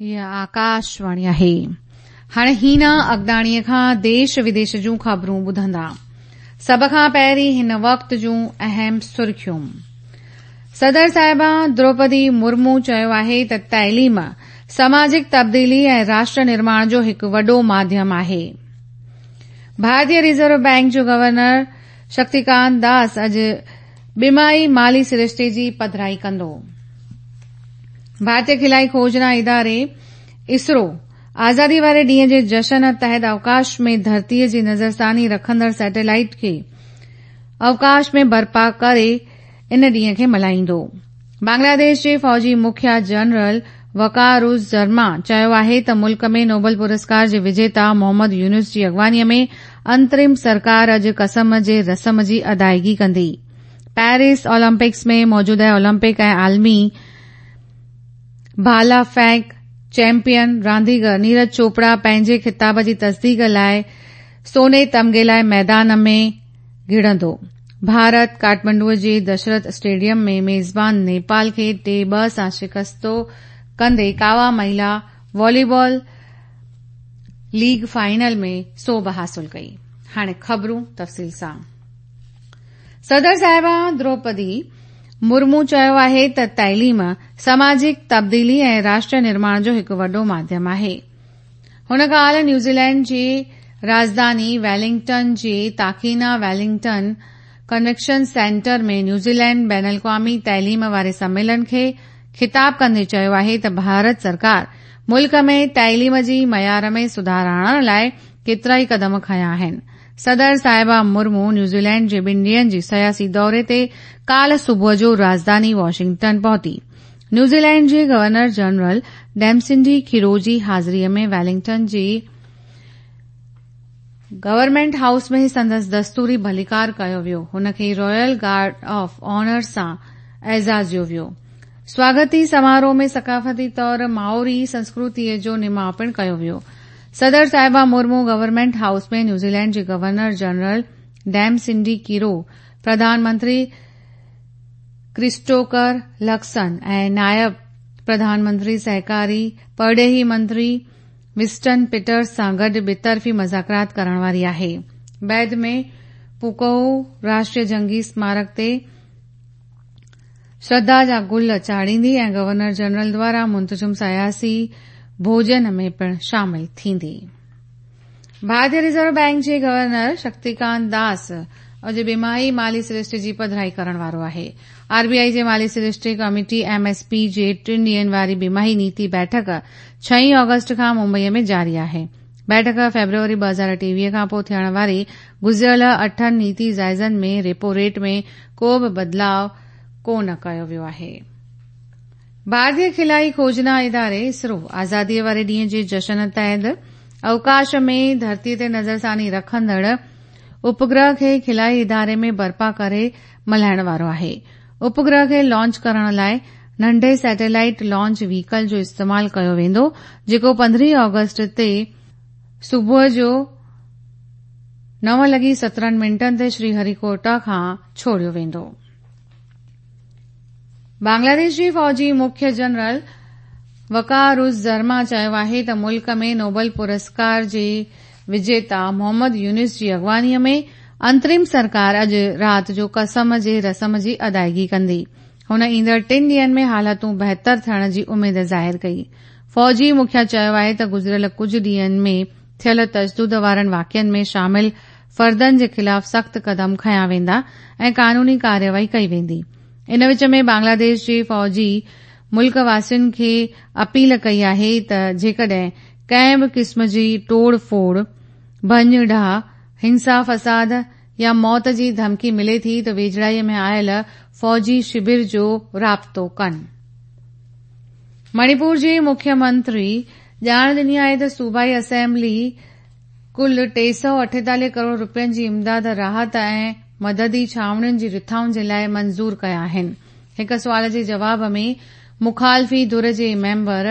هيء آڪاشواڻي آهي. هاڻي هينا اگداڻيء کان ديش وديش جون خبرون ٻڌندا. سڀ کان پهرين هن وقت جون اهم سرخيون. صدر صاحبه دروپدي مرمو چيو آهي ته تعليم سماجڪ تبديلي ۽ راشٽر نرماڻ جو هڪ وڏو ماڌيم آهي. ڀارتي ريزرو بئنڪ جو گورنر شڪتيڪانت داس اڄ ٻماهي مالي سرشتي جي پڌرائي ڪندو. ڀارتي خلائي کوجنا اداري اسرو آزادي واري ڏينهن جي جشن تحت اوڪاش ۾ ڌرتيء جي نظرثاني رکندڙ سيٽلائيٽ کي اوڪاش ۾ برپا ڪري ان ڏينهن کي ملهائيندو. بنگلاديش جي فوجي مکيا جنرل وقار الزمان چيو آهي ته ملڪ ۾ نوبل پرسڪار جي وجيتا محمد يونس جي اڳواڻي ۾ انترم سرڪار اڄ قسم جي رسم جي ادائيگي ڪندي. پيرس اولمپڪس ۾ موجوده اولمپڪ ۽ عالمي ڀالا ڦينڪ چيمپيئن رانديگر نيرج چوپڙا پنهنجي خطاب جي تصديق لاء سوني تمغي لاء ميدان ۾ گهڙندو. ڀارت ڪاٺمنڊو جي دشرٿ اسٽيڊيم ۾ ميزبان نيپال کي 3-2 سان شڪست ڪندي ڪاوا مهلا والي بال ليگ فائنل ۾ سوڀ حاصل ڪئي. هاڻي خبرون تفصيل سان. صدر صاحبه دروپدي مرمو چيو آهي ته تعليم سماجڪ تبديلي ۽ راشٽر نرماڻ جو هڪ وڏو ماڌيم آهي. هن ڪالهه نيوزيلينڊ جي راڄڌاني ويلنگٽن جي تاڪينا ويلنگٽن ڪنوينشن سينٽر ۾ نيوزيلينڊ بين الاقوامي تعليم واري سميلن کي خطاب ڪندي چيو آهي ته ڀارت سرڪار ملڪ ۾ تعليم جي معيار ۾ سڌار آڻڻ لاء ڪيترائي قدم کنيا آهن. صدر صاحبه مرمو نيوزيلينڊ جي ٻن ڏينهن جي سياسي دوري تي ڪالهه صبح جو راڄڌاني واشنگٽن پهتي. نيوزيلينڊ جي گورنر جنرل ڊيمسنڊي کيرو جي حاضري ۾ ويلنگٽن جي گورنمينٽ هائوس ۾ سندس دستوري ڀليڪار ڪيو ويو. هن کي رائل گارڊ آف آنر سان اعزازيو ويو. سواگتي سماروهه ۾ ثقافتي طور مائوري سنسڪرتيء جو نماء پڻ ڪيو ويو. صدر صاحبه مرمو گورنمينٽ هائوس ۾ نيوزيلينڊ جي گورنر جنرل ڊيم سنڊي ڪيرو، پرڌان منتري ڪرسٽوڪر لڪسن ۽ نائب پرڌان منتري سهڪاري پرڏيهي منتري وسٽن پيٽرز سان گڏ ٻطرفي مذاڪرات ڪرڻ واري آهي. بعد ۾ پوڪوهو راشٽريه جنگي سمارڪ تي شرڌا جا گل چاڙهيندي ۽ گورنر جنرل دواران منتظم سياسي ڀوڄن ۾ پڻ شامل ٿيندي. ڀارتي ريزرو بئنڪ جي گورنر شڪتيڪانت داس اڄ ٻماهي مالي سرشتي جي پڌرائي ڪرڻ وارو آهي. آر بي آء جي مالي سرشتي ڪميٽي، ايم ايس پي، جي ٽن ڏينهن واري ٻماهي نيتي بيٺڪ ڇهين آگسٽ کان ممبئي ۾ جاري آهي. بيٺڪ فيبروري 2023 کان پوء ٿيڻ واري گذريل اٺن نيتي جائزن ۾ ريپو ريٽ ۾ ڪو به بدلاء ڪو نه ڪيو ويو آهي. ڀارتي خلائي کوجنا اداري اسرو آزادي واري ڏينهن جي جشن تحت اوڪاش ۾ ڌرتي تي نظرثاني رکندڙ اپگرهه کي خلائي اداري ۾ برپا ڪري ملهائڻ وارو آهي. اپگرهه کي لانچ ڪرڻ لاء ننڍي سيٽلائيٽ لانچ وهيڪل جو استعمال ڪيو ويندو جيڪو 15 آگسٽ تي صبح جو 9:17 تي شري هري ڪوٽا کان ڇوڙيو ويندو. بنگلاديش جي فوجي مکي جنرل وقار الزمان چيو آهي ته ملڪ ۾ نوبل پرسڪار جي وجيتا محمد يونس جي اڳواڻي ۾ انترم سرڪار اڄ رات جو قسم جي رسم جي ادائيگي ڪندي. هن ايندڙ ٽن ڏينهن ۾ حالتون بهتر ٿيڻ جي اميد ظاهر ڪئي. فوجي مکيا چيو آهي ته گذريل ڪجهه ڏينهن ۾ ٿيل تشدد وارن واقعن ۾ شامل فردن جي خلاف سخت قدم کنيا ويندا ۽ قانوني ڪارروائي ڪئي ويندي. ان وچ ۾ بنگلاديش جي فوجي ملڪ واسين کي اپيل ڪئي آهي ته جيڪڏهن ڪنهن به قسم جي ٽوڙ ڦوڙ، ڀڃ ڊاهه، هنسا فساد يا موت جي ڌمڪي ملي ٿي ته ويجهڙائي ۾ آيل فوجي شبر جو رابطو ڪن. مڻيپور جي مکيه منتري ڄاڻ ڏني آهي ته صوبائي اسيمبلي ڪل 348 ڪروڙ رپين جي امداد راحت ۽ مددي ڇانوڻين جي رٿائن جي لاء منظور ڪيا آهن. هڪ سوال جي جواب ۾ مخالفي ڌر جي ميمبر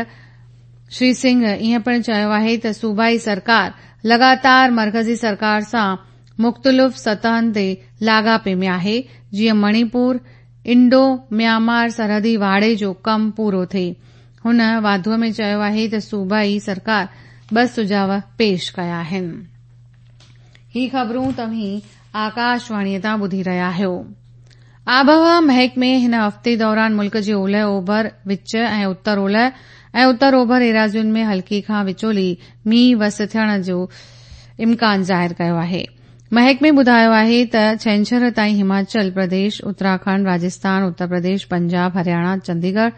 شري سنگهه ائين پڻ چيو آهي ته صوبائي سرڪار لڳاتار مرڪزي سرڪار سان مختلف سطحن تي لاڳاپي ۾ آهي جيئن مڻيپور انڊو ميانمار سرحدي واڙي جو ڪم پورو ٿئي. هن واڌوءَ ۾ چيو آهي ته صوبائي سرڪار ٻه سجهاءُ پيش ڪيا آهن. هي خبرون توهين آڪاشواڻيء تان ٻڌي رهيا آهيو. آبهوا محڪمي هن هفتي دوران ملڪ جي اولهه اوڀر، وچ ۽ اتر اولهه ۽ اتر اوڀر ايراضين ۾ هلڪي کان وچولي مينهن وس ٿيڻ جو امڪان ظاهر ڪيو آهي. محڪمي ٻڌايو آهي ته ڇنڇر تائين هماچل پرديش، اتراکنڊ، راجسٿان، اتر پرديش، پنجاب، هرياڻا، چنديڳڙهه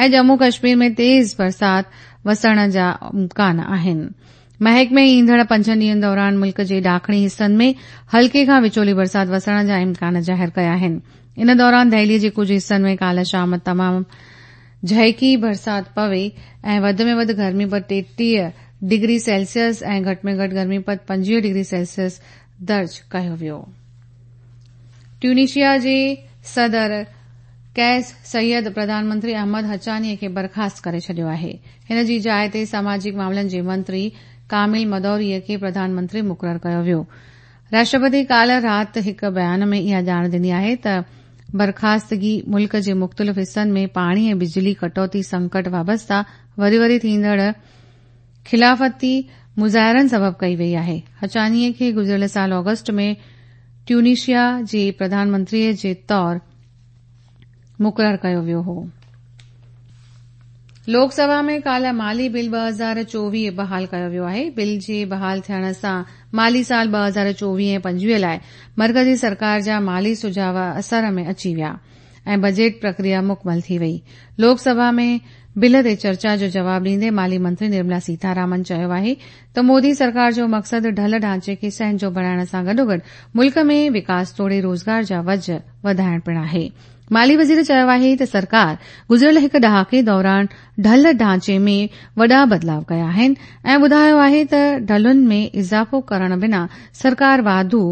۽ ڄمون ڪشمير ۾ تيز برسات وسڻ جا امڪان آهن. محڪمي ايندڙ پنجن ڏينهن دوران ملڪ جي ڏاکڻي حصن ۾ هلڪي کان وچولي برسات وسڻ جا امڪان ظاهر ڪيا آهن. ان دوران دهلي جي ڪجهه حصن ۾ ڪالهه شام تمام جهڪي برسات پوي ۽ وڌ ۾ وڌ گرمي پد 33 ڊگري سيلسيس ۽ گهٽ ۾ گهٽ گرمي پد 25 ڊگري سيلسيس درج ڪيو ويو. ٽيونيشيا جي صدر قيس سعيد پرڌان منتري احمد حچاني کي برخاست ڪري ڇڏيو آهي. هن جي جاء تي سماجڪ معاملن جي منتري ڪامل مدوري کي پرڌان منتري مقرر ڪيو ويو. راشٽرپتي ڪالهه رات هڪ بيان ۾ اها ڄاڻ ڏني آهي ته برخاستگي ملڪ جي مختلف حصن ۾ پاڻي ۽ بجلي ڪٽوتي سنڪٽ وابسته وري وري ٿيندڙ خلافتي مظاهرن سبب ڪئي وئي آهي. حچاني کي گذريل سال آگسٽ ۾ ٽيونيشيا جي پرڌان منتري جي طور مقرر ڪيو ويو هو. لوڪ سڀا ۾ ڪالهه مالي بل 2024 بحال ڪيو ويو آهي. بل جي بحال ٿيڻ سان مالي سال 2024 ۽ 25 لاء مرڪزي سرڪار جا مالي سجهاء اثر ۾ اچي ويا ۽ بجيٽ پرڪريا مڪمل ٿي وئي. لوڪ سڀا ۾ بل تي چرچا جو جواب ڏيندي مالي منتري نرملا سيتارامن چيو آهي ته مودي سرڪار جو مقصد ڍل ڍانچي کي سهنجو بڻائڻ سان گڏوگڏ ملڪ ۾ وڪاس توڙي روزگار جا وجهه وڌائڻ پڻ آهي. مالي وزير چيو آهي ته سرڪار گذريل هڪ ڏهاڪي دوران ڍل ڍانچي ۾ وڏا بدلاء ڪيا آهن ۽ ٻڌايو آهي ته ڍلن ۾ اضافو ڪرڻ بنا سرڪار واڌو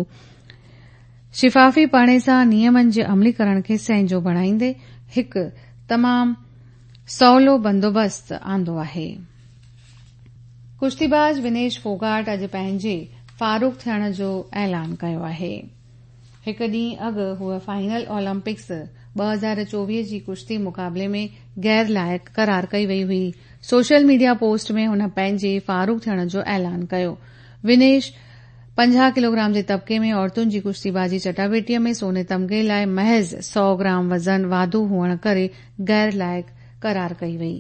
شفافي پڻي سان نيمن جي عمليڪرڻ کي سهنجو بڻائيندي هڪ تمام سولو بندوبست آندو آهي. ڪشتيباز ونيش ڦوگاٽ اڄ پنهنجي فاروغ ٿيڻ جو اعلان ڪيو آهي. هڪ ڏينهن اڳ هوء فائنل اولمپڪس 2024 جي ڪشتي مقابلي ۾ غير لائق قرار ڪئي وئي هئي. سوشل ميڊيا پوسٽ ۾ هن پنهنجي فاروغ ٿيڻ جو اعلان ڪيو. ونيش 50 ڪلوگرام جي طبقي ۾ عورتن جي ڪشتيبازي چٽاڀيٽي ۾ سوني تمغي لاء محض 100 گرام وزن واڌو هئڻ ڪري غير لائق قرار ڪئي وئي.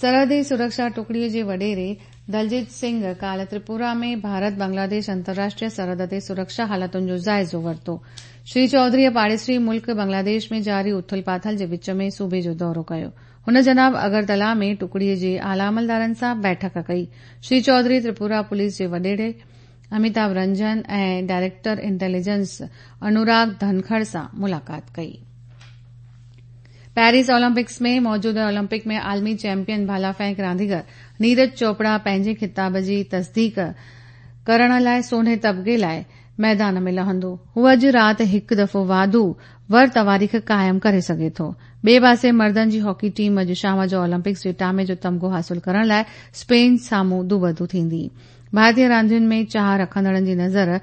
سرحدي سرڪشا ٽڪڙي جي وڏيري دلجيت سنگهه ڪالهه تريپورا ۾ ڀارت بنگلاديش انترراشٽريه سرحد تي سرڪشا حالتن جو جائزو ورتو. شري چوڌريء پاڙيسري ملڪ بنگلاديش ۾ جاري اٿل پاٿل جي وچ ۾ صوبي جو دورو ڪيو. هن جناب اگرتلا ۾ ٽڪڙي جي اعليٰ عملدارن سان بيٺڪ ڪئي. شري چوڌري تريپورا پوليس جي وڏيري اميتاڀ رنجن ۽ ڊائريڪٽر انٽيليجنس انوراگ ڌنکڙ سان ملاقات ڪئي. پيرس اولمپڪس ۾ موجوده اولمپڪ ۾ عالمي چيمپيئن ڀالا ڦينڪ رانديگر نيرج چوپڙا پنهنجي خطاب جي تصديق ڪرڻ لاء سوني تمغي لاء ميدان ۾ لهندو. هو اڄ رات هڪ دفعو واڌو ور تواريخ قائم ڪري سگهي ٿو. ٻئي پاسي مردن جي هاڪي ٽيم اڄ شام جو اولمپڪس جي ٽامي جو تمغو حاصل ڪرڻ لاء اسپين سامهون دوبدو ٿيندي. ڀارتي راندين ۾ چاهه رکندڙن جي نظر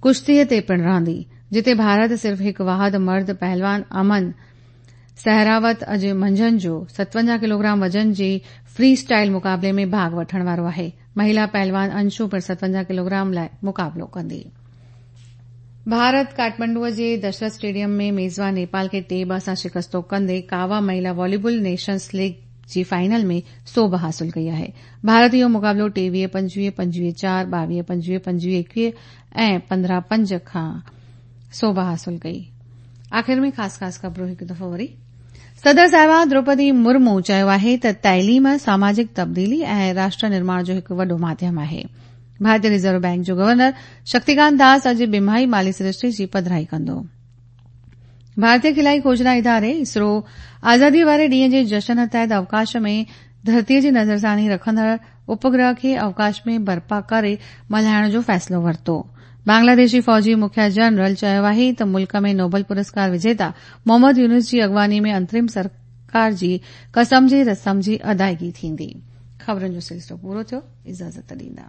ڪشتي تي پڻ رهندي، جتي ڀارت صرف هڪ واحد مرد پهلوان امن سهراوت اڄ منجهند جو 57 ڪلوگرام وزن جي فري اسٽائل مقابلي ۾ ڀاڳ وٺڻ وارو آهي. مهيلا پهلوان انشو پڻ 57 ڪلوگرام لاء مقابلو ڪندي. ڀارت ڪاٺمنڊوء جي دشرٿ اسٽيڊيم ۾ ميزبان نيپال کي 3-2 سان شڪستو ڪندي ڪاوا مهيلا والي بال نيشنز ليگ جي فائنل ۾ سوڀ حاصل ڪئي آهي. ڀارت اهو مقابلو 23-25، 25-4، 22-25، 25-21 ۽ 15-5 کان سوڀ حاصل ڪئي. آخر ۾ خاص خاص خبرون هڪ دفعو وري. صدر صاحبه دروپدي مرمو چيو آهي ته تعليم ساماجڪ تبديلي ۽ راشٽر نرماڻ جو هڪ وڏو ماڌيم آهي. ڀارتي ريزرو بئنڪ جو گورنر شڪتيڪانت داس اڄ ٻماهي مالي سرشتي جي پڌرائي ڪندو. ڀارتي خلائي کوجنا اداري اسرو آزادي واري ڏينهن جي جشن تحت اوڪاش ۾ ڌرتي جي نظرثاني رکندڙ اپگرهه کي اوڪاش ۾ برپا ڪري ملهائڻ جو فيصلو ورتو. بنگلاديشي فوجي مکيا جنرل چيو آهي ته ملڪ ۾ نوبل پرسڪار وجيتا محمد يونس جي اڳواڻي ۾ انترم سرڪار جي قسم جي رسم جي ادائگي ٿيندي. خبرن جو سلسلو پورو ٿيو. اجازت ڏيندا.